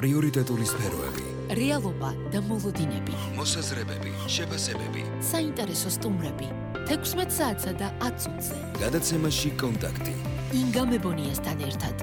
პრიორიტეტული სფეროები, რეალობა და მოლოდინები, მოსაზრებები, შეფასებები, საინტერესო სტუმრები, 16 საათსა და 10 წუთზე. გადაცემაში კონტაქტი. ინგა მებონიასთან ერთად.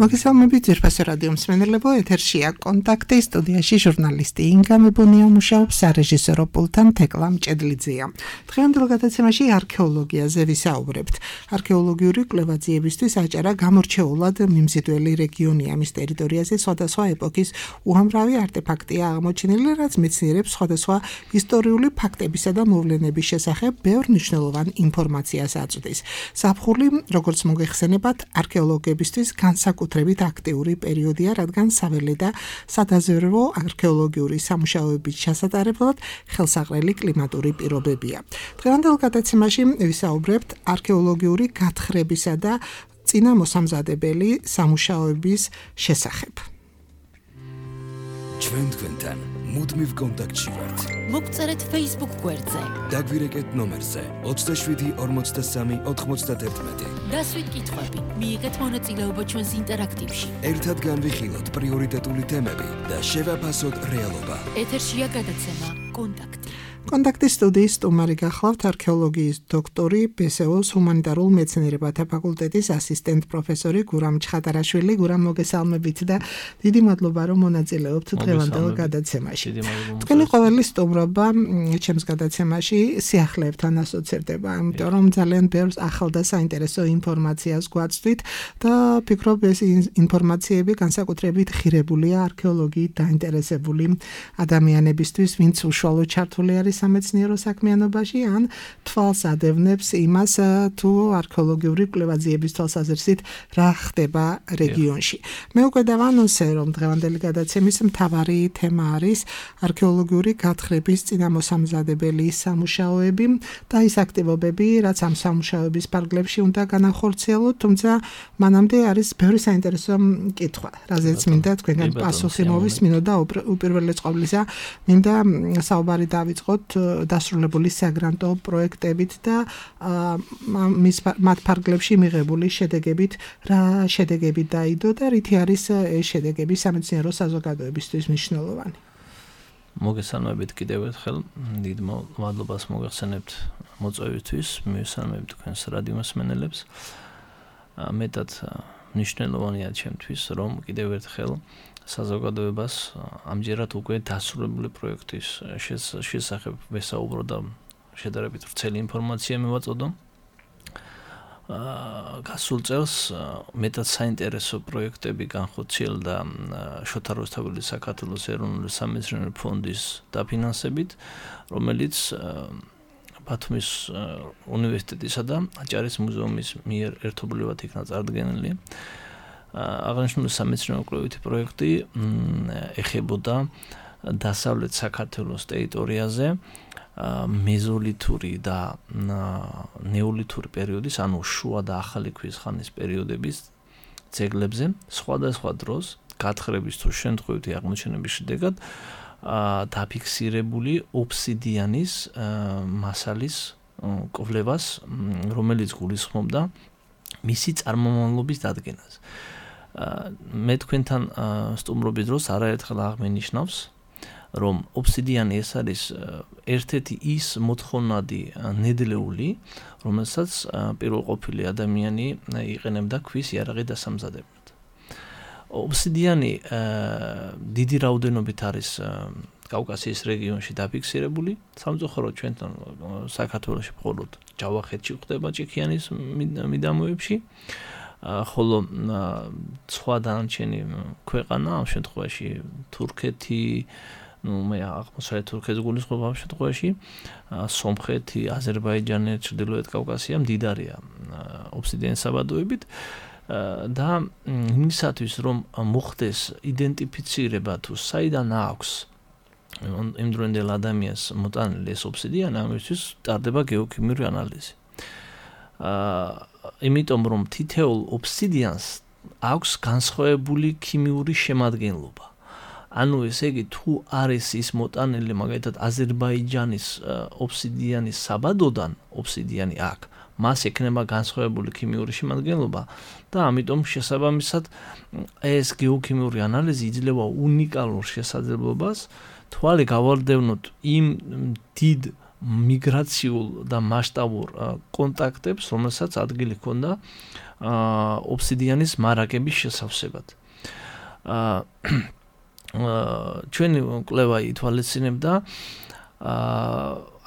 მოგესალმებით ძვირფასო რადიო მსმენელებო, ეთერშია კონტაქტი, სტუდიაში ჟურნალისტი ინგა მებონია მუშაობს, სარეჟისორო პულტთან თეკლა მჭედლიძეა. დღევანდელ გადაცემაში არქეოლოგიაზე ვისაუბრებთ. არქეოლოგიური კვლევაძიებისთვის აჭარა გამორჩეულად მიმზიდველი რეგიონია, მის ტერიტორიაზე სხვადასხვა ეპოქის უამრავი არტეფაქტია აღმოჩენილი, რაც მეცნიერებს სხვადასხვა ისტორიული ფაქტებისა და მოვლენების შესახებ ბევრ მნიშვნელოვან ინფორმაციას აწვდის. ზაფხული, როგორც მოგეხსენებათ, არქეოლოგებისთვის განსაკუთრებით აქტიური პერიოდია, რადგან საველე და სადაზვერვო არქეოლოგიური სამუშაოების ჩასატარებლად ხელსაყრელი კლიმატური პირობებია. დღევანდელ გადაცემაში ვისაუბრებთ არქეოლოგიური გათხრებისა და წინამოსამზადებელი სამუშაოების შესახებ. ჩვენ თქვენთან მუდმივ კონტაქტში ვართ. მოგწერეთ Facebook გვერდზე. დაგვირეკეთ ნომერზე 27 43 91. დასვით კითხვები, მიიღეთ მონაწილეობა ჩვენს ინტერაქტივში. ერთად განვიხილოთ პრიორიტეტული თემები და შევაფასოთ რეალობა. ეთერშია გადაცემა კონტაქტი. კონტაქტის სტუდიის სტუმარი გახლავთ არქეოლოგიის დოქტორი, ბესეოს ჰუმანიტარულ მეცნიერებათა ფაკულტეტის ასისტენტ პროფესორი გურამ ჩხატარაშვილი. გურამ, მოგესალმებით და დიდი მადლობა, რომ მონაწილეობთ დღევანდელ გადაცემაში. თქვენი ყოველი სტუმრობა ჩემს გადაცემაში სიახლეებთან ასოცირდება, იმიტომ რომ ძალიან ბევრ ახალ და საინტერესო ინფორმაციას გვაწვდით და ფიქრობ, ეს ინფორმაციები განსაკუთრებით ხირებულია არქეოლოგიით დაინტერესებული ადამიანებისთვის, ვინც უშუალოდ ჩართული არის სამეცნიერო საქმიანობაში, ან თვალს ადევნებს იმას, თუ არქეოლოგიური კვლევაძიების თვალსაზრისით რა ხდება რეგიონში. მე უკვე დავანონსე, რომ დღევანდელი გადაცემის მთავარი თემა არის არქეოლოგიური გათხრების წინამოსამზადებელი სამუშაოები და ის აქტივობები, რაც ამ სამუშაოების ფარგლებში უნდა განახორციელოთ, თუმცა მანამდე არის ბევრი საინტერესო კითხვა, რაზეც მინდა თქვენგან პასუხი მოვისმინოთ და უპირველეს ყოვლისა მინდა საუბარი დავიწყოთ დასრულებული საგრანტო პროექტებით და მათ ფარგლებში მიღებული შედეგებით, რა შედეგები დაიდო და რითი არის ეს შედეგები სამეცნიერო საზოგადოებისთვის მნიშვნელოვანი. მოგესალმებით კიდევ ერთხელ, დიდ მადლობას მოგეხსენებთ მოწვევისთვის, მივესალმებით თქვენს რადიო მსმენელებს. მეტად მნიშვნელოვანია ჩემთვის, რომ კიდევ ერთხელ საზოგადოებას ამჯერად უკვე დასრულებული პროექტის შესახებ ვესაუბრო და შედარებით ვრცელი ინფორმაცია მივაწოდო. გასულ წელს მეტად საინტერესო პროექტები განხორციელდა შოთა რუსთაველის საქართველოს ეროვნული სამეცნიერო ფონდის დაფინანსებით, რომელიც ბათუმის უნივერსიტეტისა და აჭარის მუზეუმის მიერ ერთობლივად იქნა წარდგენილი. აღნიშნული სამეცნიერო კვლევითი პროექტი ეხებოდა დასავლეთ საქართველოს ტერიტორიაზე მეზოლითური და ნეოლითური პერიოდის, ანუ შუა და ახალი ქვის ხანის პერიოდების ძეგლებზე სხვადასხვა დროს გათხრების თუ შემთხვევითი აღმოჩენების შედეგად დაფიქსირებული ობსიდიანის მასალის კვლევას, რომელიც გულისხმობდა მისი წარმომავლობის დადგენას. მე თქვენთან სტუმრობის დროს არაერთხელ აღმენიშნავს, რომ ობსიდიანი ეს არის ერთ-ერთი ის მოთხოვნადი ნედლეული, რომელსაც პირველყოფილი ადამიანი იყენებდა ქვის იარაღი დასამზადებლად. ობსიდიანი დიდი რაოდენობით არის კავკასიის რეგიონში დაფიქსირებული, სამწუხაროდ ჩვენთან საქართველოში მხოლოდ ჯავახეთში ხდება ჭიქიანის მიდამოებში, ხოლო სხვა დანარჩენი ქვეყანა, ამ შემთხვევაში თურქეთი, მე აღმოსავლეთ თურქეთს გულისხმობ ამ შემთხვევაში, სომხეთი, აზერბაიჯანი, ჩრდილოეთ კავკასია მდიდარია ობსიდიანის საბადოებით და იმისათვის, რომ მოხდეს იდენტიფიცირება თუ საიდან აქვს იმდროინდელ ადამიანს მოტანილი ეს ობსიდიანი, ამისთვის ტარდება გეოქიმიური ანალიზი. იმიტომ რომ თითოეულ ობსიდიანს აქვს განსხვავებული ქიმიური შემადგენლობა. ანუ ესე იგი, თუ არის ის მოტანილი მაგალითად აზერბაიჯანის ობსიდიანის საბადოდან ობსიდიანი აქ, მას ექნება განსხვავებული ქიმიური შემადგენლობა და ამიტომ შესაბამისად ეს გეოქიმიური ანალიზი იძლევა უნიკალურ შესაძლებლობას თვალი გავარდევნოთ იმ დიდ მიგრაციულ და მასშტაბურ კონტაქტებს, რომელსაც ადგილი ჰქონდა ობსიდიანის მარაგების შესავსებად. ჩვენი კვლევა ითვალისწინებდა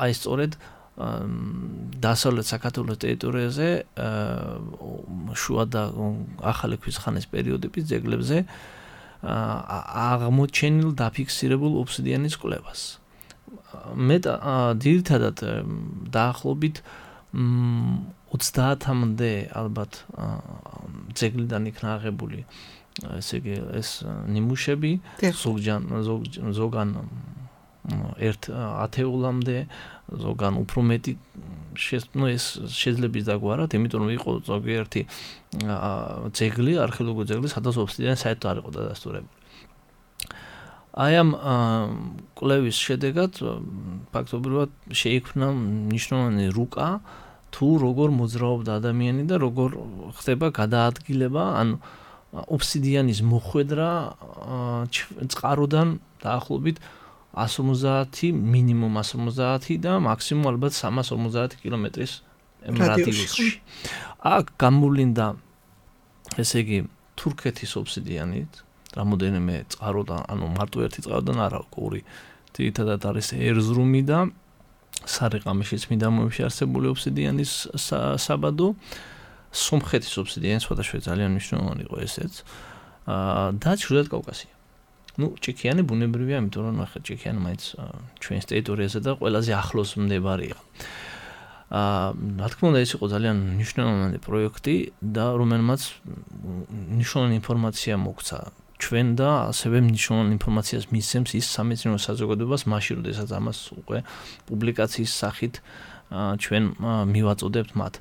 აი სწორედ დასავლეთ საქართველოს ტერიტორიაზე შუა და ახალი ქვის ხანის პერიოდების ძეგლებზე აღმოჩენილ დაფიქსირებულ ობსიდიანის კვლევას. მე ძირითადად დაახლოებით 30-მდე ალბათ ძეგლიდან იქნა აღებული ესე იგი ეს ნიმუშები ზოგან ერთ ათეულამდე ზოგან უფრო მეტი ეს შეიძლება დაგვარად, იმიტომ რომ იყო ზოგიერთი ძეგლი, არქეოლოგიური ძეგლი, სადაც ობსიდიანი საერთოდ არ იყო დადასტურებული. აი ამ კვლევის შედეგად ფაქტობრივად შეიქმნა მნიშვნელოვანი რუკა თუ როგორ მოძრაობდა ადამიანი და როგორ ხდება გადაადგილება, ანუ ობსიდიანის მოხვედრა წყაროდან დაახლოებით 150 მინიმუმ 150 და მაქსიმუმ ალბათ 350 კილომეტრის რადიუსში. აქ გამოვლინდა ესე იგი თურქეთის ობსიდიანით, რამოდენიმე წყაროდან, ანუ მარტო ერთი წყაროდან არა, ორი ძირითადად არის ერზრუმი და სარიყამიშის მიდამოებში არსებული ობსიდიანის საბადო, სომხეთის ობსიდიანი სხვადასხვა ძალიან მნიშვნელოვანი იყო ესეც და ჩრდილოეთ კავკასია. ჭიქიანი ბუნებრივია, იმიტომ რომ ნახეთ, ჭიქიანი მაინც ჩვენს ტერიტორიაზე და ყველაზე ახლოს მდებარე იყო. რა თქმა უნდა, ეს იყო ძალიან მნიშვნელოვანი პროექტი და რომელმაც მნიშვნელოვანი ინფორმაცია მოგცა ჩვენ და ასევე მნიშვნელოვანი ინფორმაციას მისცემს ის სამეცნიერო საზოგადოებას მაშინ, როდესაც ამას უკვე პუბლიკაციის სახით ჩვენ მივაწოდებთ მათ.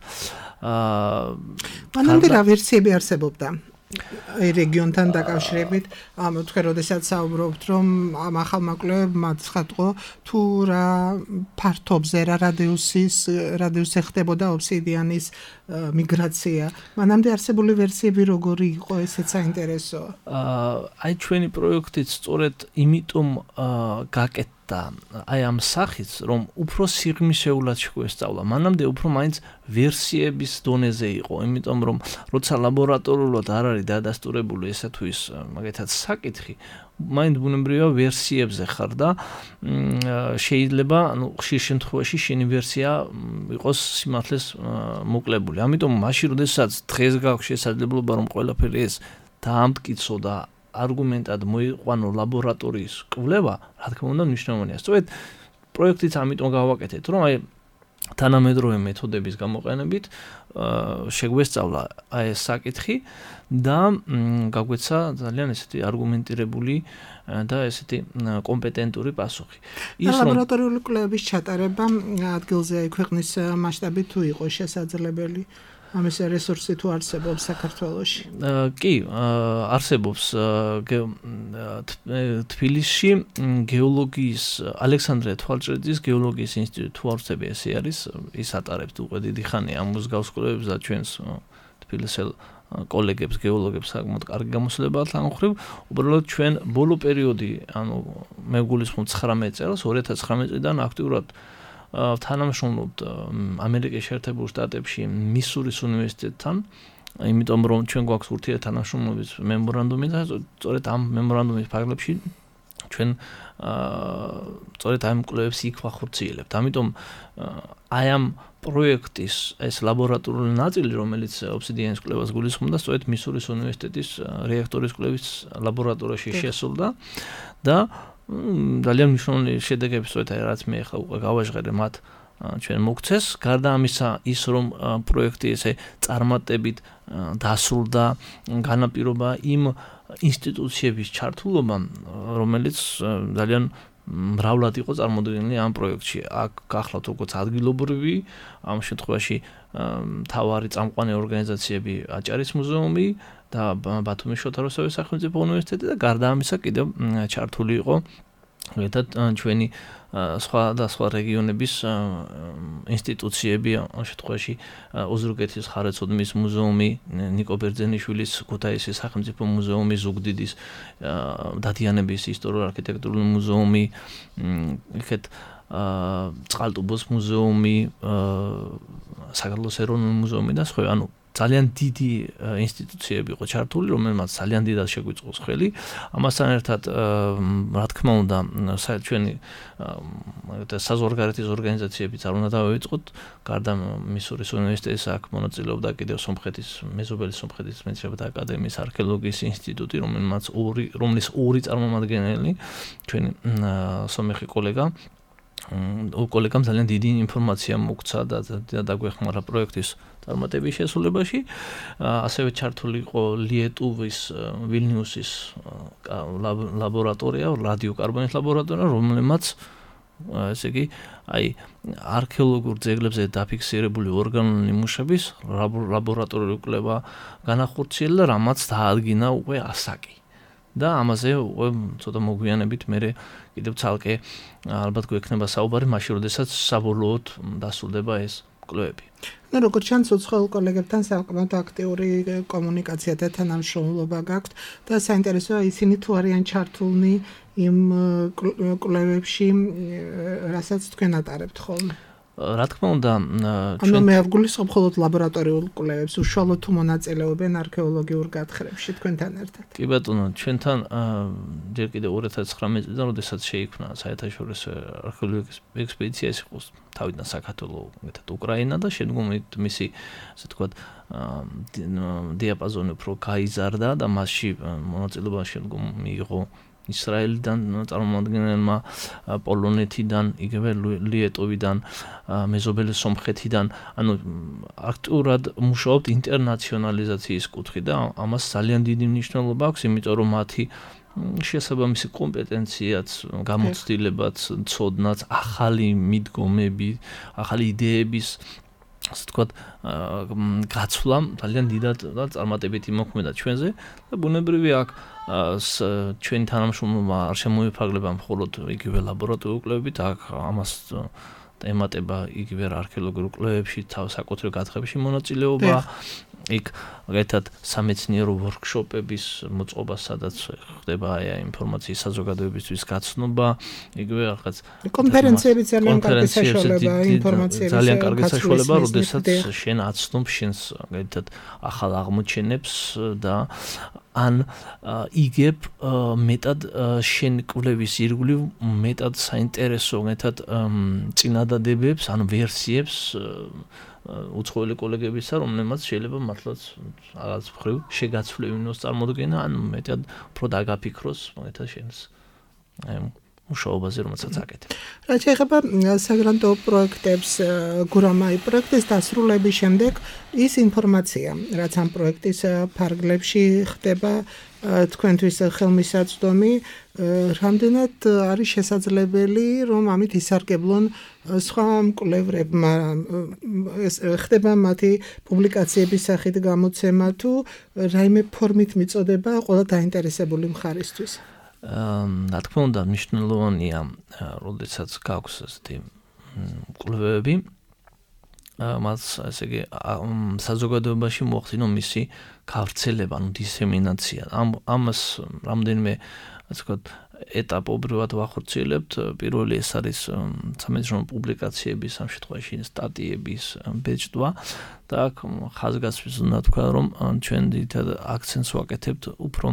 მანამდე რა ვერსიები არსებობდა? რეგიონთან დაკავშირებით, თქვენ როდესაც საუბრობთ, რომ ამ ახალმა კვლევებმა ცხადყო თუ რა ფართობზე, რა რადიუსზე ხდებოდა ობსიდიანის მიგრაცია. მანამდე არსებული ვერსიები როგორი იყო, ესეც საინტერესოა. აი ჩვენი პროექტით სწორედ იმიტომ გაკეთდა აი ამ სახით, რომ უფრო სიღრმისეულად შეგვესწავლა. მანამდე უფრო მაინც ვერსიების დონეზე იყო, იმიტომ რომ როცა ლაბორატორიულად არ არის დადასტურებული ესა თუ ის მაგათაც საკითხი, მაინც ბუნებრივია ვერსიებზე ხარ და შეიძლება, ანუ ხშირ შემთხვევაში შენი ვერსია იყოს სიმართლეს მოკლებული. ამიტომ მაშინ, როდესაც დღეს გაქვს შესაძლებლობა, რომ ყველაფერი ეს დაამტკიცო და არგუმენტად მოიყვანო ლაბორატორიის კვლევა, რა თქმა უნდა, მნიშვნელოვანია. სწორედ პროექტიც ამიტომ გავაკეთეთ, რომ აი თანამედროვე მეთოდების გამოყენებით შეგვესწავლა აი ეს საკითხი და გაგვეცა ძალიან ესეთი არგუმენტირებული და ესეთი კომპეტენტური პასუხი. ლაბორატორიული კვლევების ჩატარება ადგილზე ქვეყნის მასშტაბით თუ იყო შესაძლებელი? ამის რესურსი თუ არსებობს საქართველოში? კი, არსებობს თბილისში გეოლოგიის ალექსანდრე თვალჭრეძის გეოლოგიის ინსტიტუტი თუ არსები ესე არის, ის ატარებს უკვე დიდი ხანია ამ მსგავს კვლევებს და ჩვენს თბილისელ კოლეგებს, გეოლოგებს საკმაოდ კარგი გამოსვლება აქვს ამ ხრივ. უბრალოდ ჩვენ ბოლო პერიოდი, ანუ მე გულისხმობ 19 წელს, 2019 წლიდან აქტიურად თანამშრომლობთ ამერიკის შეერთებულ შტატებში მისურის უნივერსიტეტთან, იმიტომ რომ ჩვენ გვაქვს ურთიერთთანამშრომლობის მემორანდუმი და სწორედ ამ მემორანდუმის ფარგლებში ჩვენ სწორედ ამ კვლევებს იქ ვახორციელებთ. ამიტომ აი ამ პროექტის ეს ლაბორატორიული ნაწილი, რომელიც ობსიდიანის კვლევას გულისხმობდა, სწორედ მისურის უნივერსიტეტის რეაქტორის კვლევის ლაბორატორიაში შესულდა და ძალიან მნიშვნელოვანი შედეგები სწორედ რაც მე ახლა უკვე გავაჟღერე მათ ჩვენ მოგცეს. გარდა ამისა, ის რომ პროექტი ესე წარმატებით დასრულდა, განაპირობა იმ ინსტიტუციების ჩართულობა, რომელიც ძალიან მრავლად იყო წარმოდგენილი ამ პროექტში. აქ გახლავთ როგორც ადგილობრივი, ამ შემთხვევაში მთავარი წამყვანი ორგანიზაციები აჭარის მუზეუმი და ბათუმის შოთა რუსთავის სახელმწიფო უნივერსიტეტი და გარდა ამისა კიდევ ჩართული იყო ერთად ჩვენი სხვა და სხვა რეგიონების ინსტიტუციები, ამ შემთხვევაში ოზურგეთის ხარეცოდმის მუზეუმი, ნიკო ბერძენიშვილის ქუთაისის სახელმწიფო მუზეუმი, ზუგდიდის დადიანების ისტორიულ-არქიტექტურული მუზეუმი, იქეთ წყალტუბოს მუზეუმი, საქართველოს ეროვნული მუზეუმი და სხვა, ანუ ძალიან დიდი ინსტიტუციები იყო ჩართული, რომელმაც ძალიან დიდად შეგვიწყოს ხელი. ამასთან ერთად, რა თქმა უნდა, ჩვენი საზღვარგარეთის ორგანიზაციებიც არ უნდა დავივიწყოთ, გარდა მისურის უნივერსიტეტის აქ მონაწილეობდა კიდევ სომხეთის მეზობელი სომხეთის მეცნიერებათა აკადემიის არქეოლოგიის ინსტიტუტი, რომლის ორი წარმომადგენელი ჩვენი სომეხი კოლეგამ ძალიან დიდი ინფორმაცია მოგცა და დაგვეხმარა პროექტის წარმატების შესრულებაში. ასევე ჩართული იყო ლიეტუვის ვილნიუსის ლაბორატორია, რადიოკარბონის ლაბორატორია, რომელმაც ესე იგი, არქეოლოგიურ ძეგლებზე დაფიქსირებული ორგანული ნიმუშების ლაბორატორიული კვლევა განახორციელა და რამაც დაადგინა უკვე ასაკი. და ამაზე უკვე ცოტა მოგვიანებით მე კიდევ ცალკე ალბათ გვექნება საუბარი მაშინ, როდესაც საბოლოოდ დასრულდება ეს კვლევები. Ну, როგორც ჩანს, უცხოელ კოლეგებთან საკმაოდ აქტიური კომუნიკაცია და თანამშრომლობა გაქვთ და საინტერესოა ისინი თუ არიან ჩართულნი იმ კვლევებში, რასაც თქვენ ატარებთ ხოლმე. რა თქმა უნდა, ანუ მე ვგულისხმობ მხოლოდ ლაბორატორიულ კვლევებს, უშუალოდ თუ მონაწილეობენ არქეოლოგიურ გათხრებში თქვენთან ერთად. კი ბატონო, ჩვენთან ჯერ კიდევ 2019 წლიდან, როდესაც შეიქმნა საერთაშორისო არქეოლოგიის ექსპედიცია, ეს იყო თავიდან საქართველოს, მეტად უკრაინა და შემდგომით მისი, ასე ვთქვათ, დიაპაზონი უფრო გაიზარდა და მასში მონაწილეობა შემდგომ მიიღო ისრაელიდან წარმომადგენელმა, პოლონეთიდან, იგივე ლიეტოვიდან, მეზობელი სომხეთიდან, ანუ აქტიურად მუშაობთ ინტერნაციონალიზაციის კუთხით და ამას ძალიან დიდი მნიშვნელობა აქვს, იმიტომ რომ მათი შესაბამისი კომპეტენციაც, გამოცდილებაც, ცოდნაც, ახალი მიდგომები, ახალი იდეების ასე ვთქვათ, გაცვლა ძალიან დიდად და წარმატებით იმოქმედა ჩვენზე და ბუნებრივია აქ ჩვენი თანამშრომლობა არ შემოიფარგლება მხოლოდ იგივე ლაბორატორიული კვლევებით, აქ ამას ემატება იგივე არქეოლოგიურ კვლევებში, საკუთრივ გათხრებში მონაწილეობა, იქ ერთად სამეცნიერო ვორქშოპების მოწყობა, სადაც ხდება ინფორმაციის საზოგადოებისთვის გაცნობა, იგივე რაღაც კონფერენციები ძალიან კარგი საშუალება ინფორმაციების ძალიან კარგი საშუალება, როდესაც შენ აცნობ შენს ერთად ახალ აღმოჩენებს და ან იგებ მეტად შენ კვლევის ირგვლივ მეტად საინტერესო ერთად წინადადებებს ან ვერსიებს უცხოელი კოლეგებისა, რომლებმაც შეიძლება მართლაც რაღაც მხრივ შეგაცვლებინოს წარმოდგენა, ან მეტად უფრო დაგაფიქროს ერთად შენს მუშაობაზე, რომელსაც აკეთებ. რაც შეეხება საგრანტო პროექტებს, გურამაი პროექტის დასრულების შემდეგ ის ინფორმაცია, რაც ამ პროექტის ფარგლებში ხდება, თქვენთვის ხელმისაწვდომი, რამდენად არის შესაძლებელი, რომ ამით ისარგებლონ სხვა მკვლევრებმა, ხდება მათი პუბლიკაციების სახით გამოცემა თუ რაიმე ფორმით მიწოდება ყველა დაინტერესებული მხარისთვის. რა თქმა უნდა, მნიშვნელოვანია, როდესაც გაქვს ასეთი კვლევები, მას ესე იგი საზოგადოებაში მოახდინო მისი გავრცელება, ანუ დისემინაცია. ამას რამდენიმე, ასე ვთქვათ, ეტაპობრივად ვახორციელებთ. პირველი ეს არის სამეცნიერო პუბლიკაციების, ამ შემთხვევაში სტატიების ბეჭდვა და აქ ხაზგასმის უნდა თქვა, რომ ჩვენ დიდად აქცენტს ვაკეთებთ უფრო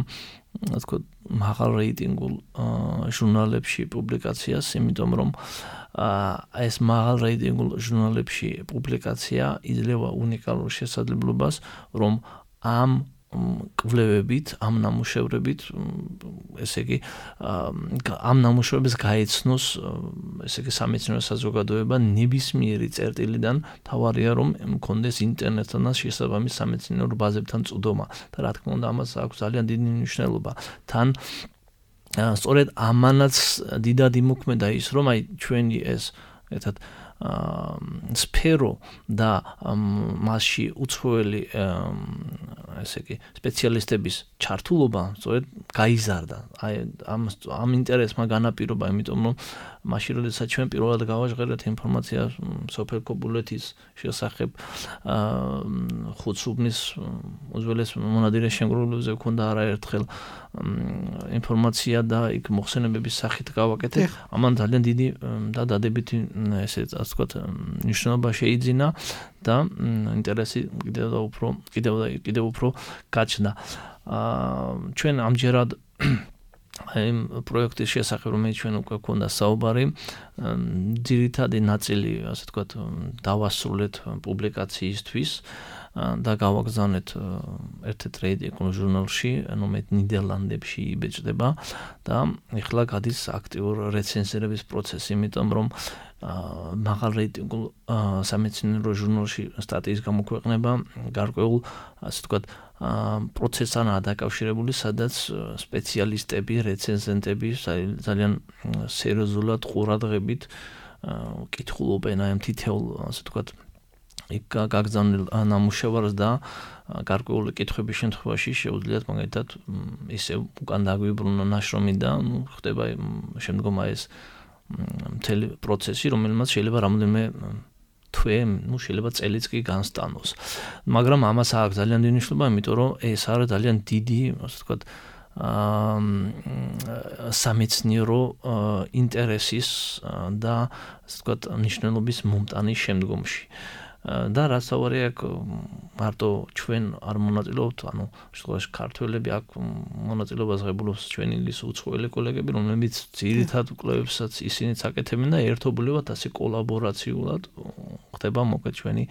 ასე ვთქვათ, მაღალ რეიტინგულ ჟურნალებში პუბლიკაციას, იმიტომ რომ ეს მაღალ რეიტინგულ ჟურნალებში პუბლიკაცია იძლევა უნიკალურ შესაძლებლობას, რომ ამ კვლევებით, ამ ნამუშევრებით, ესე იგი, ამ ნამუშევრებს გაეცნოს, ესე იგი, სამეცნიერო საზოგადოება ნებისმიერი წერტილიდან, თავარია რომ მქონდეს ინტერნეტთან და შესაბამის სამეცნიერო ბაზებთან წვდომა და რა თქმა უნდა, ამას აქვს ძალიან დიდი მნიშვნელობა. თან სწორედ ამანაც დიდად იმოქმედა ის, რომ ჩვენი ეს ერთად სფერო და მასში უცხოელი ესე იგი სპეციალისტების ჩართულობა სწორედ გაიზარდა. აი ამ ინტერესმა განაპირობა, იმიტომ რომ მაშინ როდესაც ჩვენ პირველად გავაჟღერეთ ინფორმაცია სოფელ კობულეთის შესახებ ხუთსუბნის უძველეს მონადირეს შემგროვებლებზე ქონდა არაერთხელ ინფორმაცია და იქ მოხსენებების სახით გავაკეთეთ. ამან ძალიან დიდი და დადებითი ესე ვთქვათ ნიშნულობა შეიძინა და ინტერესი კიდევ უფრო გაჩნდა. ჩვენ ამჯერად აი პროექტის შესახებ რომელიც ჩვენ უკვე გქონდა საუბარი, ძირითადი ნაწილი, ასე ვთქვათ, დავასრულეთ პუბლიკაციისთვის და გავაგზავნეთ ერთ-ერთ რედაქციულ ჟურნალში, რომელიც ნიდერლანდებში იბეჭდება და ეხლა გადის აქტიურ რეცენზირების პროცესი, იმიტომ რომ მაღალ რეიტინგულ სამეცნიერო ჟურნალში სტატიის გამოქვეყნება გარკვეულ, ასე ვთქვათ, პროცესთანაა დაკავშირებული, სადაც სპეციალისტები, რეცენზენტები ძალიან სერიოზულად ყურადღებით კითხულობენ აი ამ თითოეულ, ასე ვთქვათ, იქ გაგზავნილ ნამუშევარს და გარკვეული კითხვების შემთხვევაში შეუძლიათ მაგალითად ისე უკან დაგვიბრუნა ნაშრომი და ხდება შემდგომ აი ეს მთელი პროცესი, რომელმაც შეიძლება რამოდენიმე თვე, შეიძლება წელიც კი განსტანოს. მაგრამ ამას აქვს ძალიან დიდი მნიშვნელობა, იმიტომ რომ ეს არის ძალიან დიდი, ასე ვთქვათ, სამეცნიერო ინტერესის და ასე ვთქვათ, მნიშვნელობის მომტანის შემდგომში. და რაც საუბარია აქ მარტო ჩვენ არ მონაწილეობთ, ანუ შემთხვევაში ქართველები აქ მონაწილეობას ღებულობს ჩვენი უცხოელი კოლეგები, რომლებიც ძირითად კვლევებსაც ისინიც აკეთებენ და ერთობლივად ასე კოლაბორაციულად ხდება მოკეთ ჩვენი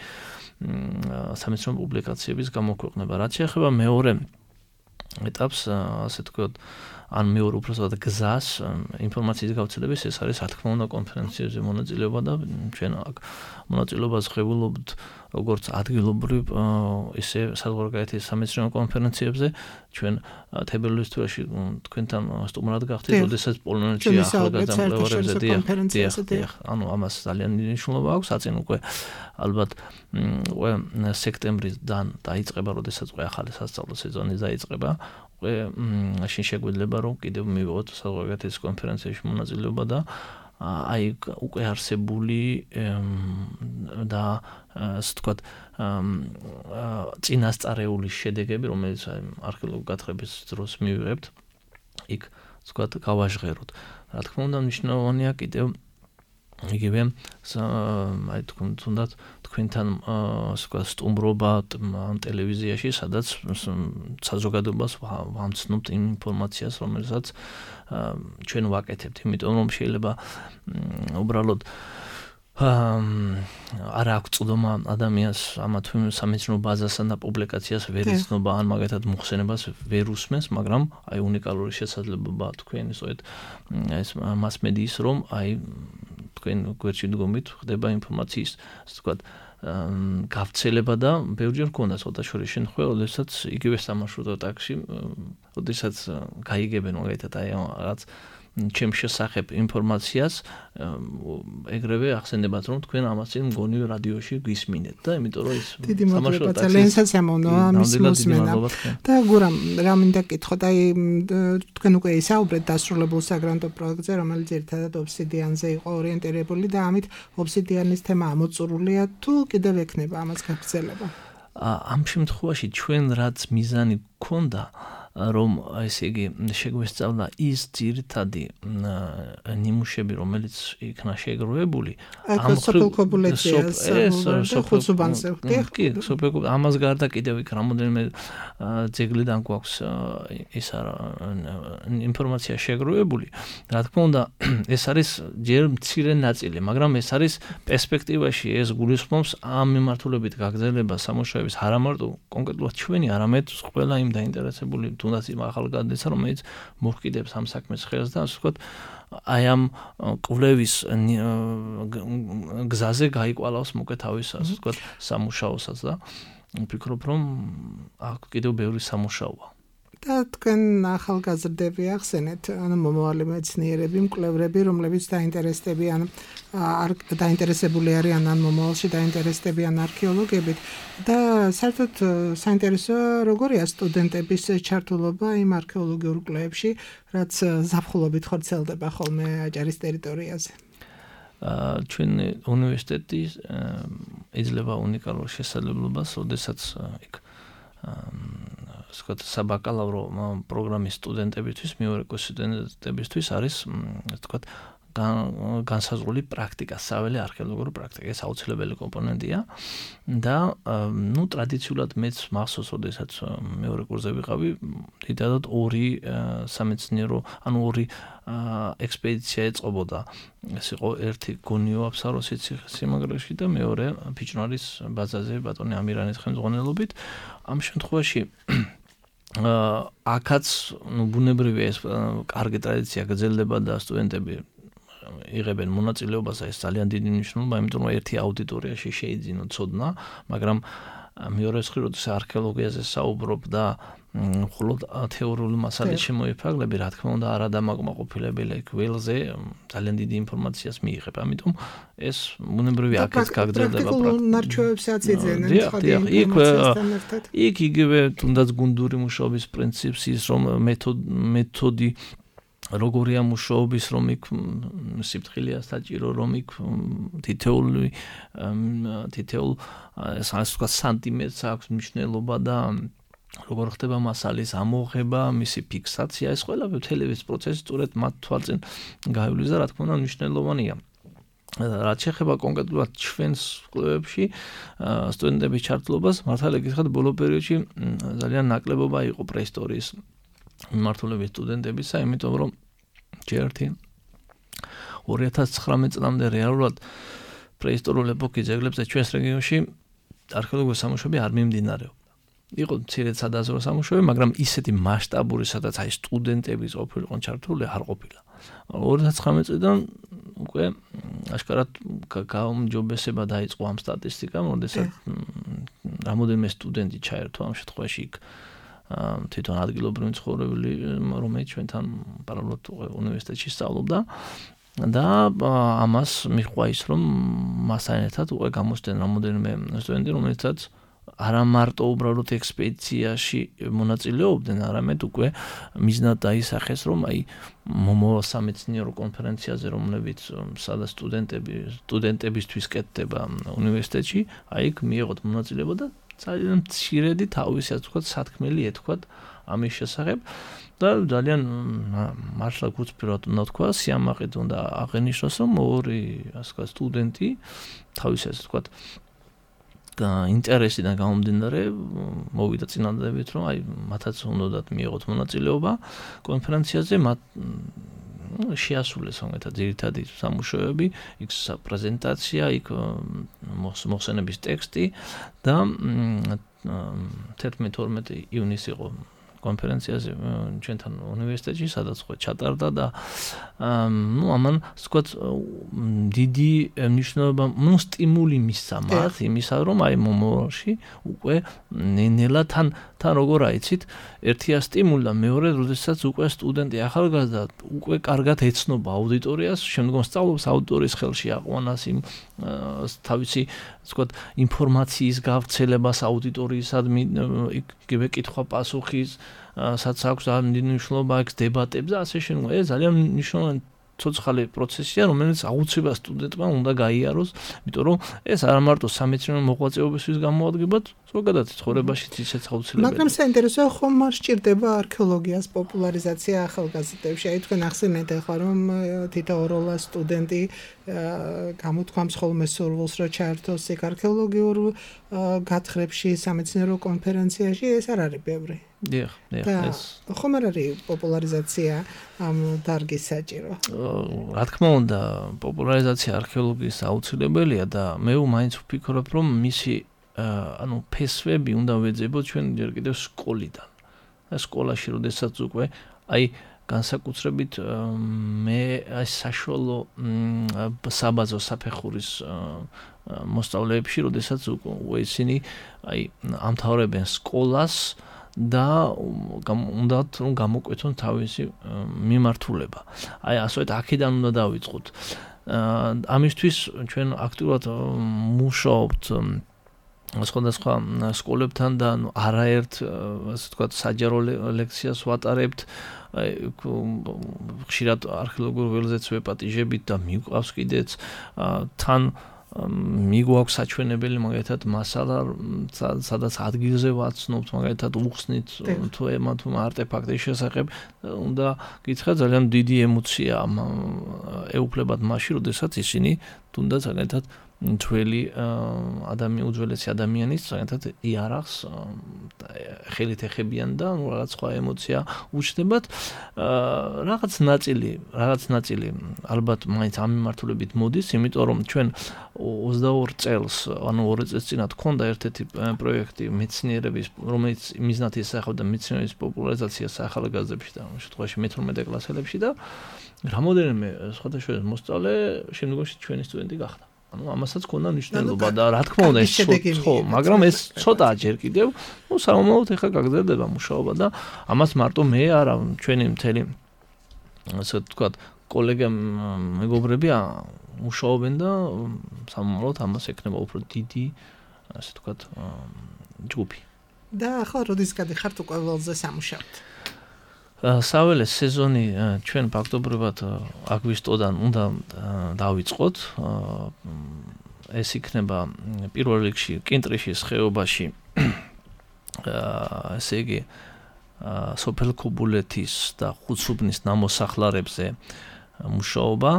სამეცნიერო პუბლიკაციების გამოქვეყნება. რაც შეეხება მეორე ეტაპს, ასე ვთქვათ, ან მეორე უბრალოდ გზას ინფორმაციის გავრცელების, ეს არის რა თქმა უნდა კონფერენციებზე მონაწილეობა და ჩვენ აქ მონაწილეობას ღებულობთ როგორც ადგილობრივ ისე საზღვარგარეთის სამეცნიერო კონფერენციებზე. ჩვენ თებერვლის თვეში თქვენთან სტუმრად გავხდით, როდესაც პოლონეთში ახალგაზრდა მკვლევარებზე დიახ, ანუ ამას ძალიან დიდი მნიშვნელობა აქვს. აწინ უკვე ალბათ უკვე სექტემბრიდან დაიწყება, როდესაც უკვე ახალი სასწავლო სეზონი დაიწყება. მაშინ შეგვიძლია რომ კიდევ მივიღოთ საზღვარგარეთის კონფერენციაში მონაწილეობა და აი უკვე არსებული და ასე ვთქვათ წინასწარეული შედეგები, რომელიც არქეოლოგიური გათხრების დროს მივიღებთ, იქ ვთქვათ გავაჟღეროთ. რა თქმა უნდა, მნიშვნელოვანია კიდევ იგივე აი თუნდაც თქვენთან ასე ვთქვათ სტუმრობა ტელევიზიაში, სადაც საზოგადოებას ვამცნობთ იმ ინფორმაციას, რომელსაც ჩვენ ვაკეთებთ, იმიტომ რომ შეიძლება უბრალოდ არ აქვს წვდომა ადამიანს ამა თუ იმ სამეცნიერო ბაზასთან და პუბლიკაციას ვერ იცნობა, ან მაგათად მოხსენებას ვერ უსმენს, მაგრამ აი უნიკალური შესაძლებლობა თქვენი სწორედ ეს მასმედიის რომ აი თქვენ გვერდში დგომით ხდება ინფორმაციის, ასე ვთქვათ, გავრცელება და ბევრჯერ მქონდა ცოტა შორის შემთხვევა, როდესაც იგივე სამარშრუტო ტაქსში, როდესაც გაიგებენ მაგალითად აი რაღაც ჩემ შესახებ ინფორმაციას, ეგრევე ახსენებათ რომ თქვენ ამას წინ მგონი რადიოში გვისმინეთ და იმიტომ რომ ის სამარშრუტო ტაქსი ძალიან სასიამოვნოა მის მოსმენა. და გურამ რა მინდა გითხოთ, აი თქვენ უკვე ისაუბრეთ დასრულებულ საგრანტო პროექტზე, რომელიც ერთადად ობსიდიანზე იყო ორიენტირებული და ამით ობსიდიანის თემა ამოწურულია, თუ კიდევ ექნება ამას გაგრძელება? ამ შემთხვევაში ჩვენ რაც მიზანი გქონდა, რომ ესე იგი შეგვესწავლა ის ძირითადი ნიმუშები, რომელიც იქნა შეგროვებული, ამ ხუთსუბანზე ამას გარდა კიდევ იქ რამოდენიმე ძეგლიდან გვაქვს ის ინფორმაცია შეგროვებული. რა თქმა უნდა, ეს არის ჯერ მცირე ნაწილი, მაგრამ ეს არის პერსპექტივაში ეს გულისხმობს ამ მიმართულებით გაგრძელება სამუშაოების არა მარტო კონკრეტულად ჩვენი, არამედ ყველა იმ დაინტერესებული თუნდაც იმ ახალგაზრდისა, რომელიც მოჰკიდებს ამ საქმეს ხელს და ასე ვთქვათ, აი ამ კვლევის გზაზე გაიკვალავს მოკე თავის, ასე ვთქვათ, სამუშაოსაც და ვფიქრობ, რომ აქ კიდევ ბევრი სამუშაოა. და თქვენ ახალგაზრდები ახსენეთ, ანუ მომავალი მეცნიერები, მკვლევრები, რომლებიც დაინტერესებული არიან ან მომავალში დაინტერესდებიან არქეოლოგიებით და საერთოდ საინტერესოა როგორია სტუდენტების ჩართულობა იმ არქეოლოგიურ კვლევებში, რაც ზაფხულობით ხორციელდება ხოლმე აჭარის ტერიტორიაზე. ჩვენი უნივერსიტეტი იძლევა უნიკალურ შესაძლებლობას, როდესაც იქ საბაკალავრო პროგრამის სტუდენტებისთვის, მეორე კურსის სტუდენტებისთვის არის, განსაზღვრული პრაქტიკა, საველე არქეოლოგიური პრაქტიკა, ეს აუცილებელი კომპონენტია და ტრადიციულად მეც მახსოვს, როდესაც მეორე კურსზე ვიყავი, დიდად ორი სამეცნიერო, ორი ექსპედიცია ეწყობოდა. ეს იყო ერთი გონიო აფსაროსის სიმაგრეში და მეორე ფიჭვნარის ბაზაზე ბატონი ამირანის ხელმძღვანელობით. ამ შემთხვევაში აქაც ბუნებრივია ეს კარგი ტრადიცია გრძელდება და სტუდენტები იღებენ მონაწილეობას, ეს ძალიან დიდი მნიშვნელობა, იმიტომ რომ ერთი აუდიტორიაში შეიძინო ცოდნა, მაგრამ მეორე მხრივ, როდესაც არქეოლოგიაზე საუბრობ და მხოლოდ თეორიული მასალით შემოიფარგლები, რა თქმა უნდა, არადამაკმაყოფილებელი ველზე ძალიან დიდი ინფორმაციას მიიღებ. ამიტომ ეს ბუნებრივი აქაც გაგრძელდება პრაქტიკულ ნარჩევებსაც იძენენ სხვა ინფორმაციასთან ერთად. იქ იგივე თუნდაც გუნდური მუშაობის პრინციპს ის რომ მეთოდი როგორია მუშაობის, რომ იქ სიფრთხილეა საჭირო, რომ იქ თითოეული სანტიმეტრს აქვს მნიშვნელობა და როგორ ხდება მასალის ამოღება, მისი ფიქსაცია, ეს ყველაფერი მთელი ეს პროცესი სწორედ მათ თვალწინ გაივლის და რა თქმა უნდა მნიშვნელოვანია. რაც შეეხება კონკრეტულად ჩვენს კვლევებში სტუდენტების ჩართულობას, მართალია გითხრათ, ბოლო პერიოდში ძალიან ნაკლებობა იყო პრეისტორიის მიმართულების სტუდენტებისა, იმიტომ რომ ჯერტი 2019 წლამდე რეალურად პრეისტორიული ეპოქის ძეგლებზე ჩვენს რეგიონში არქეოლოგიური სამუშაოები არ მიმდინარეობდა. იყო მცირე სადაზვერვო სამუშაოები, მაგრამ ისეთი მასშტაბური, სადაც აი სტუდენტების ყოფილიყო ჩართული არ ყოფილა. 2019 წლიდან უკვე აშკარად გაუმჯობესება დაიწყო ამ სტატისტიკამ, როდესაც რამოდენიმე სტუდენტი ჩაერთო ამ შემთხვევაში იქ თვითონ ადგილობრივი მცხოვრებელი, რომელიც ჩვენთან პარალელურად უნივერსიტეტში სწავლობდა და ამას მიჰყვა ის, რომ მასთან ერთად უკვე გამოსდნენ რამოდენიმე სტუდენტი, რომელთაც არა მარტო უბრალოდ ექსპედიციაში მონაწილეობდნენ, არამედ უკვე მიზნად დაისახეს, რომ აი მომავალ სამეცნიერო კონფერენციაზე, რომლებიც სადაც სტუდენტებისთვის კეთდება უნივერსიტეტში, აი იქ მიიღოთ მონაწილეობა და ძალიან მცირედი თავისი ასე ვთქვათ სათქმელი ეთქვათ ამის შესახებ და ძალიან მართლა გულწრფელად უნდა თქვა, სიამაყედ უნდა აღენიშნოს, რომ ორი ასე ვთქვათ სტუდენტი თავისი ასე ვთქვათ ინტერესიდან გამომდინარე მოვიდა წინადადებით, რომ აი მათაც უნდათ მიიღოთ მონაწილეობა კონფერენციაზე, მათ შეასრულეს ამეთა ძირითადი სამუშაოები, იქ პრეზენტაცია, იქ მოხსენების ტექსტი და 11-12 ივნისს იყო კონფერენციაზე ჩვენთან უნივერსიტეტში, სადაც ხო ჩატარდა და ამან ვთქვათ დიდი მნიშვნელობა, სტიმული მისცა მათ იმისა, რომ აი მომავალში უკვე ნელა თან როგორ აიცით, ერთია სტიმული და მეორე, როდესაც უკვე სტუდენტი ახალგაზრდა უკვე კარგად ეცნობა აუდიტორიას, შემდგომ სწავლობს აუდიტორიის ხელში აყვანას იმ თავისი ვთქვათ ინფორმაციის გავრცელებას აუდიტორიისადმი, იგივე კითხვა-პასუხის სადაც აქვს მნიშვნელობა აქ დებატებზე, ასე შემდგომ. ეს ძალიან მნიშვნელოვანი ცოცხალი პროცესია, რომელიც აუცილებლად სტუდენტმა უნდა გაიაროს, იმიტომ რომ ეს არა მარტო სამეცნიერო მოღვაწეობისთვის გამოადგებათ, ზოგადად ცხოვრებაშიც ისეც აუცილებელია. მაგრამ საინტერესოა, ხომ არ სჭირდება არქეოლოგიას პოპულარიზაცია ახალგაზრდებში? აი თქვენ ახსენეთ ახლა, რომ თითოეულა სტუდენტი გამოთქვამს ხოლმე სურვილს, რომ ჩაერთოს იქ არქეოლოგიურ გათხრებში, სამეცნიერო კონფერენციაში, ეს არ არის ბევრი. დიახ, ეს ხომ არ არის პოპულარიზაცია ამ დარგის საჭირო? რა თქმა უნდა, პოპულარიზაცია არქეოლოგიის აუცილებელია და მე მაინც ვფიქრობ, რომ მისი ფესვები უნდა ვეძებოთ ჩვენ ჯერ კიდევ სკოლიდან. სკოლაში, როდესაც უკვე აი განსაკუთრებით მე აი საშუალო საბაზო საფეხურის მოსწავლეებში, როდესაც უკვე ისინი აი ამთავრებენ სკოლას და უნდათ რომ გამოკვეთონ თავისი მიმართულება. აი ასეთ აქედან უნდა დავიწყოთ. ამისთვის ჩვენ აქტიურად მუშაობთ სხვადასხვა სკოლებთან და არაერთ ასე ვთქვათ საჯარო ლექციას ვატარებთ. ხშირად არქეოლოგიურ ველზეც ვეპატიჟებით და მიგვყავს კიდეც თან მიგვაქვს საჩვენებელი მაგალითად მასალა სადაც ადგილზე ვაცნობთ მაგალითად უხსნით თუ ემათ არტეფაქტის შესახებ უნდა გითხრათ ძალიან დიდი ემოცია ეუფლებათ მაშინ როდესაც ისინი თუნდაც მაგალითად ძველი უძველესი ადამიანის მაგალითად იარაღს ხელით ეხებიან და რაღაც სხვა ემოცია უჩნდებათ რაღაც ნაწილი ალბათ მაინც ამ მიმართულებით მოდის იმიტომ რომ ჩვენ 22 წელს ანუ 2 წელს წინათ ქონდა ერთ-ერთი პროექტი მეცნიერების რომელიც მიზნად ისახავდა მეცნიერების პოპულარიზაციას ახალგაზრდებში და შემთხვევაში მე-12 კლასელებში და რამოდენიმე სხვადასხვა მოსწავლე შემდგომში ჩვენი სტუდენტი გახდა ანუ ამასაც ქონდა მნიშვნელობა და რა თქმა უნდა ეს ხო მაგრამ ეს ცოტაა ჯერ კიდევ სამომავლოდ ეხლა გაგრძელდება მუშაობა და ამას მარტო მე არა ჩვენი მთელი ასე ვთქვათ კოლეგები მეგობრები მუშაობენ და სამომავლოდ ამას ექნება უფრო დიდი ასე ვთქვათ ჯგუფი და ახლა როდის გადიხართ უკვე ველზე სამუშაოდ საველე სეზონი ჩვენ ფაქტობრივად აგვისტოდან უნდა დავიწყოთ ეს იქნება პირველ რიგში კინტრიშის ხეობაში ესე იგი სოფელ ქობულეთის და ხუცუბნის ნამოსახლარებზე მუშაობა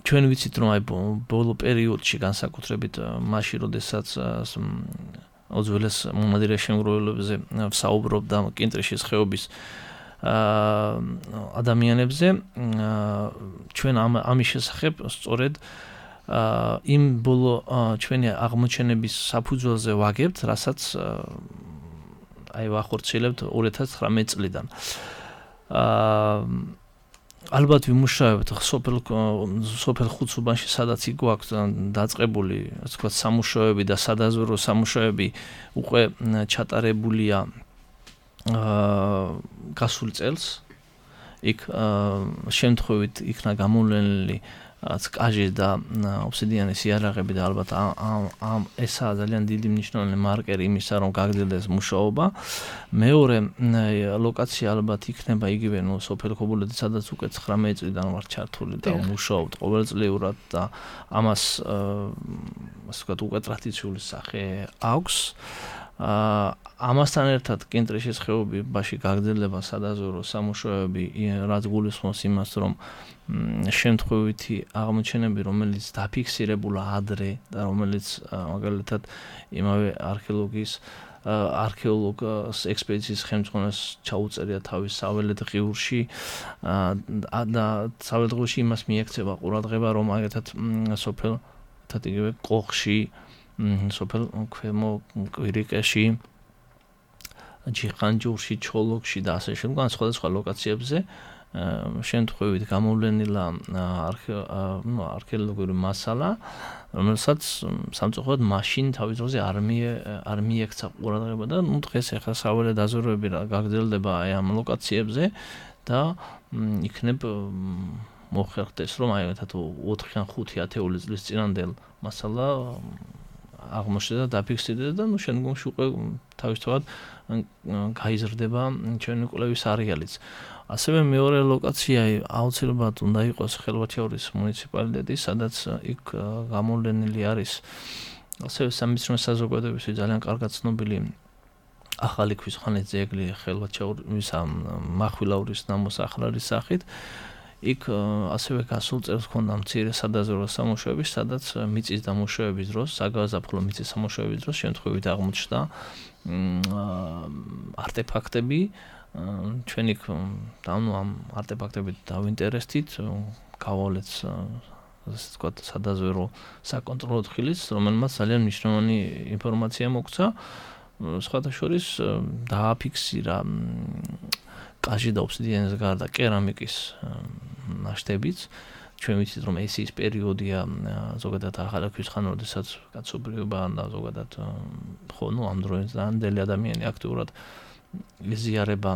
ჩვენ ვიცით რომ აი ბოლო პერიოდში განსაკუთრებით მაშინ როდესაც უძველეს მომადირე შემგროვებლებზე ვსაუბრობდა კინტრიშის ხეობის ადამიანებზე ჩვენ ამის შესახებ სწორედ იმ ბოლო ჩვენი აღმოჩენების საფუძველზე ვაგებთ რასაც აი ვახორციელებთ 2019 წლიდან ალბათ ვიმუშავებთ სოფელ ხუცუბანში სადაც გვაქვს დაწყებული ასე ვთქვათ სამუშაოები და სადაზვერო სამუშაოები უკვე ჩატარებულია გასულ წელს იქ შემთხვევით იქნა გამოვლენილი კაჟის და ობსიდიანის იარაღები და ალბათ ამ ესაა ძალიან დიდი მნიშვნელოვანი მარკერი იმისა რომ გაგრძელდეს მუშაობა მეორე ლოკაცია ალბათ იქნება იგივე სოფელ ქობულეთი სადაც უკვე 19 წლიდან ვარ ჩართული და მუშაობთ ყოველწლიურად და ამას ასე ვთქვათ უკვე ტრადიციული სახე აქვს ამასთან ერთად კინტრიშის ხეობაში გაგრძელდება სადაზვერო სამუშაოები რაც გულისხმობს იმას რომ შემთხვევითი აღმოჩენები რომელიც დაფიქსირებულა ადრე და რომელიც მაგალითად იმავე არქეოლოგის ექსპედიციის ხელმძღვანელს ჩაუწერია თავის საველეთ ღიურში და საველეთ ღიურში იმას მიექცება ყურადღება რომ მაგალითად სოფელ იგივე კოხში სოფელ ქვემო კვირიკეში ჯიხანჯურში ჩოლოქში და ასე შემდგომ სხვადასხვა ლოკაციებზე შემთხვევით გამოვლენილა არქეოლოგიური მასალა რომელსაც სამწუხაროდ მაშინ თავის დროზე არ მიექცა ყურადღება და დღეს ახლა საველე დაზვერვები გაგრძელდება აი ამ ლოკაციებზე და იქნებ მოხერხდეს რომ აი თათ 4 ან 5 ათეული წლის წინანდელ მასალა აღმოჩნდა და დაფიქსირდა და შემდგომში უკვე თავისთავად გაიზრდება ჩვენი კვლევის არეალიც. ასევე მეორე ლოკაცია აუცილებლად უნდა იყოს ხელვაჩაურის მუნიციპალიტეტი, სადაც იქ გამოვლენილი არის ასევე სამეცნიერო საზოგადოებისთვის ძალიან კარგად ცნობილი ახალი ქვისხანის ძეგლი ხელვაჩაურის მახვილაურის ნამოსახლარის სახით. იქ ასევე გასულ წელს ქონდა მცირე სადაზვერო სამუშაოები, სადაც მიწის დამუშავების დროს, საგაზაფხულო მიწის სამუშაოების დროს შემთხვევით აღმოჩნდა არტეფაქტები. ჩვენ იქ ამ არტეფაქტებით დავინტერესდით, გავავლეთ ასე ვთქვათ სადაზვერო საკონტროლო ხილიც, რომელმაც ძალიან მნიშვნელოვანი ინფორმაცია მოგცა. სხვათა შორის დააფიქსირა კაჟი და ობსიდიანის გარდა კერამიკის ნაშთებიც ჩვენ ვიცით რომ ეს ის პერიოდია ზოგადად ახალქვის ხან როდესაც კაცობრიობა და ზოგადად ხო ნუ ამ დროის ამდელი ადამიანი აქტიურად იზიარება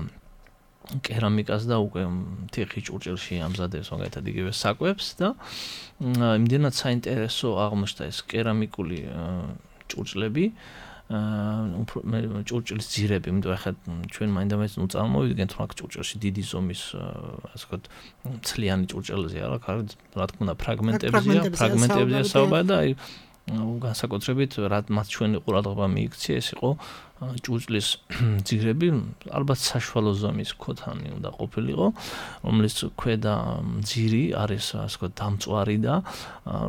კერამიკას და უკვე თიხის ჭურჭელში ამზადებს მაგალითად იგივე საკვებს და იმდენად საინტერესო აღმოჩნდა ეს კერამიკული ჭურჭლები ჭურჭლის ძირები, იმიტომ ახლა ჩვენ მაინდა-მაინც წამოვიდგენთ რომ აქ ჭურჭელში დიდი ზომის ასე ვთქვათ ცლიანი ჭურჭელზეა რა თქმა უნდა ფრაგმენტებზეა საუბარი და აი განსაკუთრებით რაც ჩვენი ყურადღება მიიქცია ეს იყო ჭურჭლის ძირები ალბათ საშუალო ზომის ქოთანი უნდა ყოფილიყო რომლის ქვედა ძირი არის ასე ვთქვათ დამწვარი და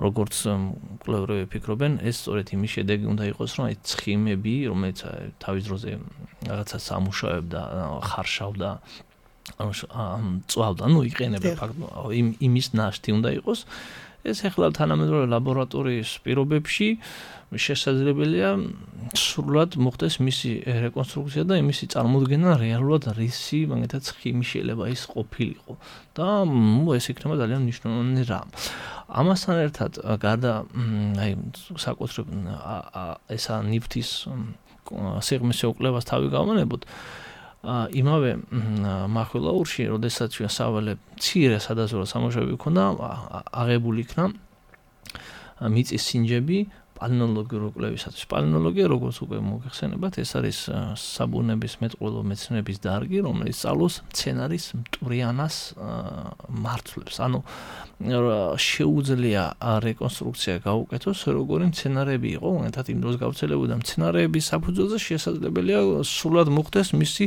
როგორც კვლევრები ფიქრობენ ეს სწორედ იმის შედეგი უნდა იყოს რომ აი ცხიმები რომელიც თავის დროზე რაღაცა სამუშაოებდა ხარშავდა წვავდა ნუ იყენებდა ფაქტობრივად იმის ნაშთი უნდა იყოს ეს ახლა თანამედროვე ლაბორატორიის პირობებში შესაძლებელია სრულად მოხდეს მისი რეკონსტრუქცია და მისი წარმოდგენა რეალურად რისი მაგალითად ცხიმი შეიძლება ის ყოფილიყო და ეს იქნება ძალიან მნიშვნელოვანი რამ. ამასთან ერთად გარდა აი საკუთრებ ესა ნიფთის სიღრმისეულ კვლევას თავი გავანებოთ იმავე მახვილაურში, როდესაც ჩვენ სავალე მცირე სადაზვერვო სამუშაოები ქონდა, აღებული იქნა მიწის სინჯები პალეონტოლოგიური კვლევისათვის. პალეონტოლოგია, როგორც უკვე მოგეხსენებათ, ეს არის საბუნების მეტყველო მეცნიერების დარგი, რომელიც სწავლობს მცენარის მტვრიანას მარცვლებს. ანუ შეუძლია რეკონსტრუქცია გაუკეთოს, როგორი მცენარეები იყო, მაგალითად იმ დროს გავრცელებოდა მცენარეების საფუძველზე შესაძლებელია სრულად მოხდეს მისი,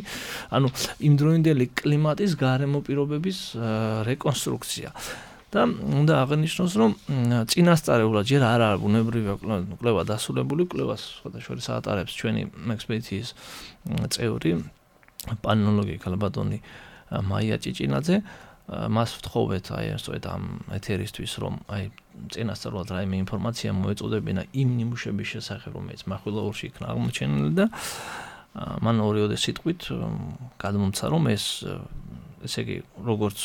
ანუ იმდროინდელი კლიმატის გარემო პირობების რეკონსტრუქცია. და უნდა აღნიშნოს, რომ წინასწარებულად ჯერ არ არის ბუნებრივი კვლევა დასრულებული, კვლევას სხვადასხვა ატარებს ჩვენი ექსპედიციის წევრი პალეონტოლოგი ქალბატონი მაია ჭიჭინაძე. მას ვთხოვეთ აი სწორედ ამ ეთერისთვის, რომ აი წინასწარულად რაიმე ინფორმაცია მოეწოდებინა იმ ნიმუშების შესახებ, რომელიც მახვილაურში იქნა აღმოჩენილი და მან ორი სიტყვით გადმომცა, რომ ესე იგი როგორც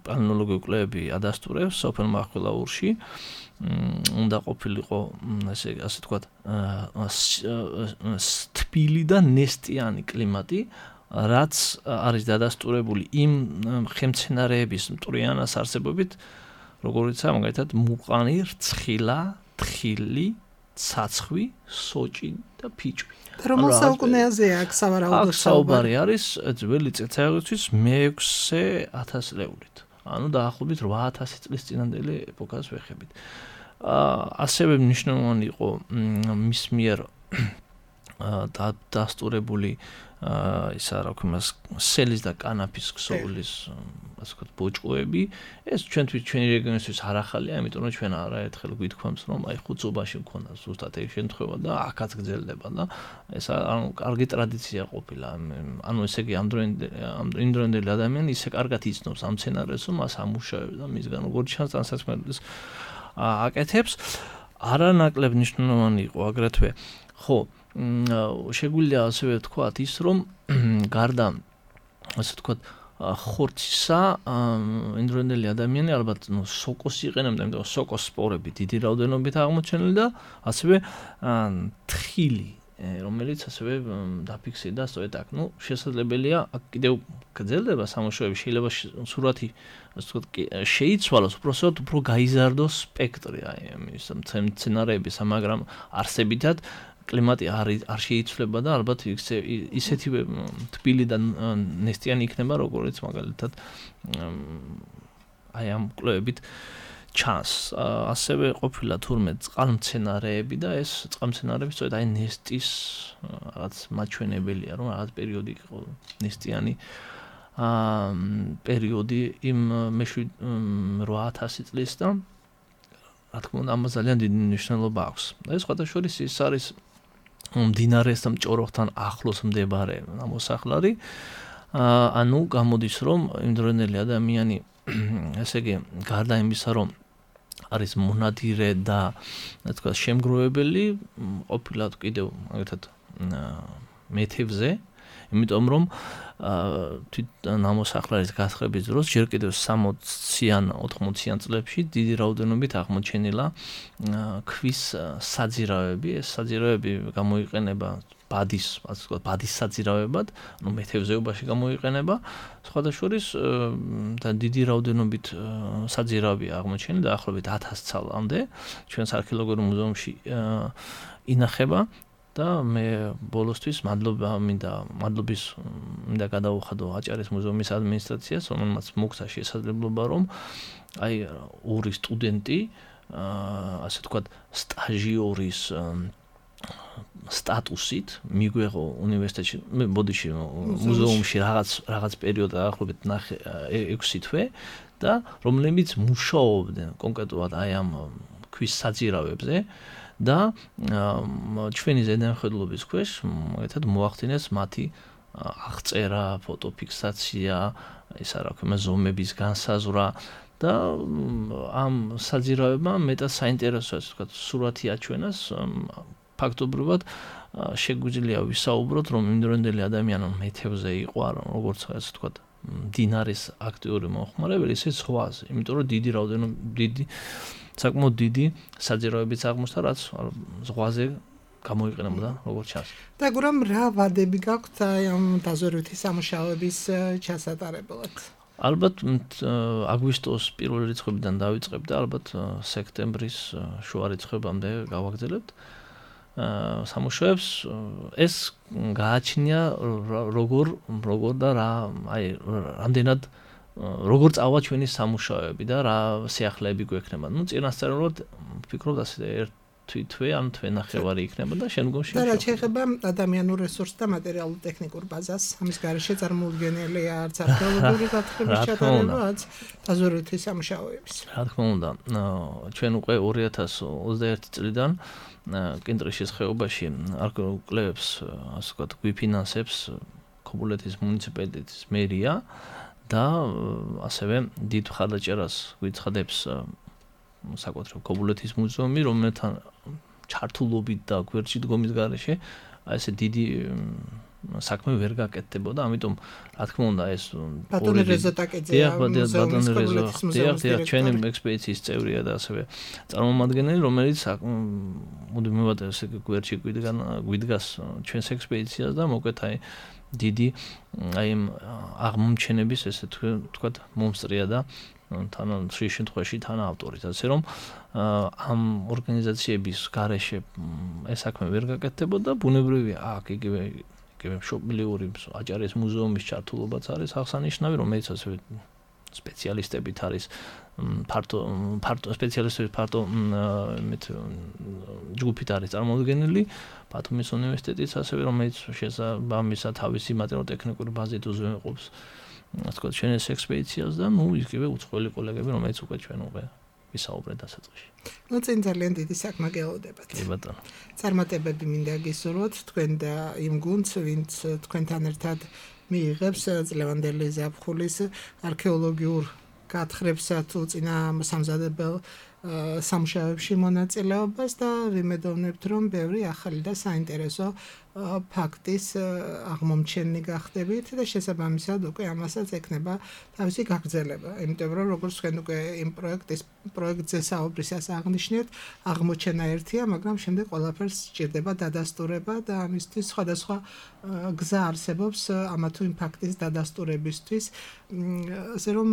პალეონტოლოგიური კვლევები ადასტურებს სოფელ მახვილაურში უნდა ყოფილიყო ასე ვთქვათ თბილი და ნესტიანი კლიმატი რაც არის დადასტურებული იმ ხემცენარეების მტვრიანას არსებობით როგორიცაა მაგალითად მუყანი, რცხილა, თხილი, ცაცხვი, სოჭი და ფიჭვი. რომელ საუკუნეაზეა აქ სავარაუდო საუბარი არის ძველი წელთაღრიცხვის მე-6000 ლეულით. ანუ დაახლოებით 8000 წლის წინანდელი ეპოქას ვეხებით. ასევე მნიშვნელოვანი იყო მის მიერ დასტურებული ისა რა ქვია სელის და კანაფის ქსოვილის ასე ვთქვათ ბოჭკოები ეს ჩვენი რეგიონისთვის არ ახალია იმიტომ რომ ჩვენ არაერთხელ გვითქვამს რომ აი ხუცობაში მქონდა ზუსტად ეს შემთხვევა და აქაც გრძელდება და ეს ანუ კარგი ტრადიცია ყოფილა ანუ ესე იგი ამ დროინდელი ადამიანი ისე კარგად იცნობს ამ სცენარეს რომ მას ამუშავებს და მისგან როგორც ჩანს ტანსაცმელს აკეთებს არანაკლებ მნიშვნელოვანი იყო აგრეთვე ხო შეგვიძლია ასევე ვთქვათ ის რომ გარდა ასე ვთქვათ ხორცისა ინდროინდელი ადამიანი ალბათ სოკოს იყენებდა იმიტომ რომ სოკოს სპორები დიდი რაოდენობით აღმოჩენილი და ასევე თხილი რომელიც ასევე დაფიქსირდა სწორედ აქ შესაძლებელია აქ კიდევ გრძელდება სამუშაოები შეიძლება სურათი ასე ვთქვათ შეიცვალოს უბრალოდ უფრო გაიზარდოს სპექტრი აი ამის მცენარეების მაგრამ არსებითად კლიმატი არ შეიცვლება და ალბათ ისეთივე თბილი და ნესტიანი იქნება როგორც მაგალითად აი ამ კვლევებით ჩანს ასევე ყოფილა თურმე წყალმცენარეები და ეს წყალმცენარეები სწორედ აი ნესტის რაღაც მაჩვენებელია რომ რაღაც პერიოდი იყო ნესტიანი პერიოდი იმ მე-8000 წლის და რა თქმა უნდა ამას ძალიან დიდი მნიშვნელობა აქვს ეს სხვადასხვა ის არის მდინარესთან ჭოროხთან ახლოს მდებარე მოსახლარი ანუ გამოდის რომ იმდროინდელი ადამიანი ესე იგი გარდა იმისა რომ არის მონადირე და რა თქმა შემგროვებელი ყოფილა კიდევ მაგალითად მეთევზე იმიტომ რომ თვით ნამოსახლარის გათხრების დროს ჯერ კიდევ 60-იან 80-იან წლებში დიდი რაოდენობით აღმოჩენილა ქვის საძირავები. ეს საძირავები გამოიყენება ბადის საძირავებად, მეთევზეობაში გამოიყენება. სხვადასხვა და დიდი რაოდენობით საძირავები აღმოჩენილი დაახლოებით 1000 წლამდე ჩვენს არქეოლოგიურ მუზეუმში ინახება და მე ბოლოსთვის მადლობის მინდა გადაუხადო აჭარის მუზეუმის ადმინისტრაციას, რომელმაც მოგცა შესაძლებლობა რომ აი ორი სტუდენტი ასე ვთქვათ სტაჟიორის სტატუსით მიგვეღო უნივერსიტეტში, ბოდიში მუზეუმში რაღაც პერიოდი დაახლოებით 6 თვე და რომლებიც მუშაობდნენ კონკრეტულად აი ამ ქვის საძირავებზე და ჩვენი ზედამხედველობის ქვეშ მაგათად მოახდინეს მათი აღწერა, ფოტოფიქსაცია, ისა რა ქვია ზომების განსაზღვრა და ამ საძირავებმა მეტად საინტერესო ასე ვთქვათ სურათი აჩვენას ფაქტობრივად შეგვიძლია ვისაუბროთ რომ იმდროინდელი ადამიანი მეთევზე იყო არა როგორც ასე ვთქვათ დინარის აქტიური მომხმარებელი ისე ზღვაზე იმიტომ რომ დიდი რაოდენობით საკმაოდ დიდი საძირავებიც აღმოჩნდა რაც ზღვაზე გამოიყენებოდა როგორც ჩანს. და გურამ რა ვადები გაქვთ ამ დაზვერვითი სამუშაოების ჩასატარებლად? ალბათ აგვისტოს პირველი რიცხვებიდან დავიწყებ და ალბათ სექტემბრის შუა რიცხვებამდე გავაგრძელებთ. სამუშაოებს ეს გააჩნია როგორ და რა აი რამდენად როგორ წავა ჩვენი სამუშაოები და რა სიახლეები გვექნება. წინასწარმეტყველად ვფიქრობ ასე თვე ან თვენახევარი იქნება და შემდგომში და რა შეიძლება ადამიანურ რესურსს და მატერიალურ ტექნიკურ ბაზას ამის გარეშე წარმოუდგენელია არც არქეოლოგიური გათხრების ჩატარება არც დაზვერვითი სამუშაოების. რა თქმა უნდა ჩვენ უკვე 2021 წლიდან კინტრიშის ხეობაში არქეოლოგიურ კვლევებს ასე ვთქვათ გვიფინანსებს ქობულეთის მუნიციპალიტეტის მერია და ასევე დიდ მხარდაჭერას გვიცხადებს საკუთრივ ქობულეთის მუზეუმი, რომელთან ჩართულობით და გვერდში დგომის გარეშე აი ესე დიდი საქმე ვერ გაკეთდებოდა, ამიტომ რა თქმა უნდა ეს ბატონი რეზო ტაკეძეა ჩვენი ექსპედიციის წევრია და ასევე წარმომადგენელი, რომელიც მუდმივად ესე გვერდში გვიდგას ჩვენს ექსპედიციას და მოკლედ აი დიდი აი აღმომჩენების ესე ვთქვათ მომსწრია და თან შემთხვევაში თან ავტორიც, ასე რომ ამ ორგანიზაციების გარეშე ეს საქმე ვერ გაკეთდებოდა, ბუნებრივია აქ იგივე მშობლიური აჭარის მუზეუმის ჩართულობაც არის აღსანიშნავი, რომელიც ასევე სპეციალისტებით არის ფართო სპეციალისტების ფართო ჯგუფით არის წარმოდგენილი, ბათუმის უნივერსიტეტიც ასევე რომელიც შესაბამისად თავისი მატერიალურ-ტექნიკური ბაზით უზრუნველყოფს ასე ვთქვათ ჩვენს ექსპედიციას და იგივე უცხოელი კოლეგები რომელიც უკვე ჩვენ უკვე ვისაუბრეთ დასაწყისში. წინ ძალიან დიდი საქმე გეოვდებათ. კი ბატონო. წარმატებები მინდა გისურვოთ თქვენ და იმ გუნდს, ვინც თქვენთან ერთად მიიღებს წლევანდელი ზაფხულის არქეოლოგიურ გათხრებსა თუ წინასამზადებელ სამუშაოებში მონაწილეობას და ვიმედოვნებთ რომ ბევრი ახალი და საინტერესო ფაქტის აღმომჩენი გახდებით და შესაბამისად უკვე ამასაც ექნება თავისი გაგრძელება. იმიტომ რომ როგორც თქვენ უკვე იმ პროექტზე საუბრისას აღნიშნეთ, აღმოჩენა ერთია, მაგრამ შემდეგ ყველაფერს სჭირდება დადასტურება და ამისთვის სხვადასხვა გზა არსებობს ამა თუ იმ ფაქტის დადასტურებისთვის. ასე რომ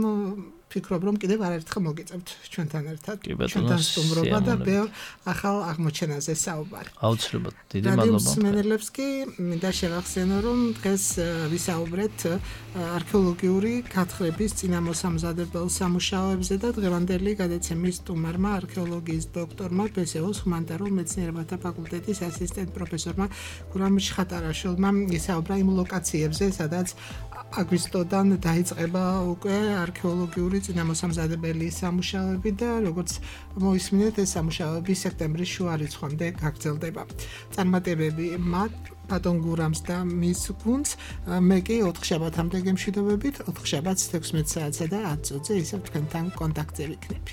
ფიქრობ რომ კიდევ არაერთხელ მოგიწევთ ჩვენთან ერთად ჩვენთან სტუმრობა და ბევრ ახალ აღმოჩენაზე საუბარი. აუცილებლად დიდი მადლობა. კი მინდა შევახსენო რომ დღეს ვისაუბრეთ არქეოლოგიური გათხრების წინამოსამზადებელ სამუშაოებზე და დღევანდელი გადაცემის სტუმარმა არქეოლოგიის დოქტორმა ბესეოს ჰუმანიტარულ მეცნიერებათა ფაკულტეტის ასისტენტ პროფესორმა გურამ ჩხატარაშვილმა ისაუბრა იმ ლოკაციებზე სადაც აგვისტოდან დაიწყება უკვე არქეოლოგიური წინამოსამზადებელი სამუშაოები და როგორც მოისმინეთ ეს სამუშაოები სექტემბრის შუა რიცხვამდე გაგრძელდება. წარმატებები მათ ბატონ გურამს და მის გუნდს მე კი 4 შაბათამდე გემშვიდობებით 4 შაბათს 16 საათსა და 10 წუთზე ისევ თქვენთან კონტაქტზე ვიქნები.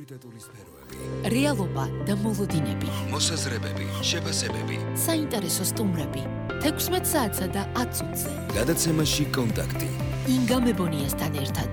პრიორიტეტული სფეროები, რეალობა და მოლოდინები, მოსაზრებები, შეფასებები, საინტერესო სტუმრები, 16 საათსა და 10 წუთზე. გადაცემაში კონტაქტი. ინგა მებონიასთან ერთად.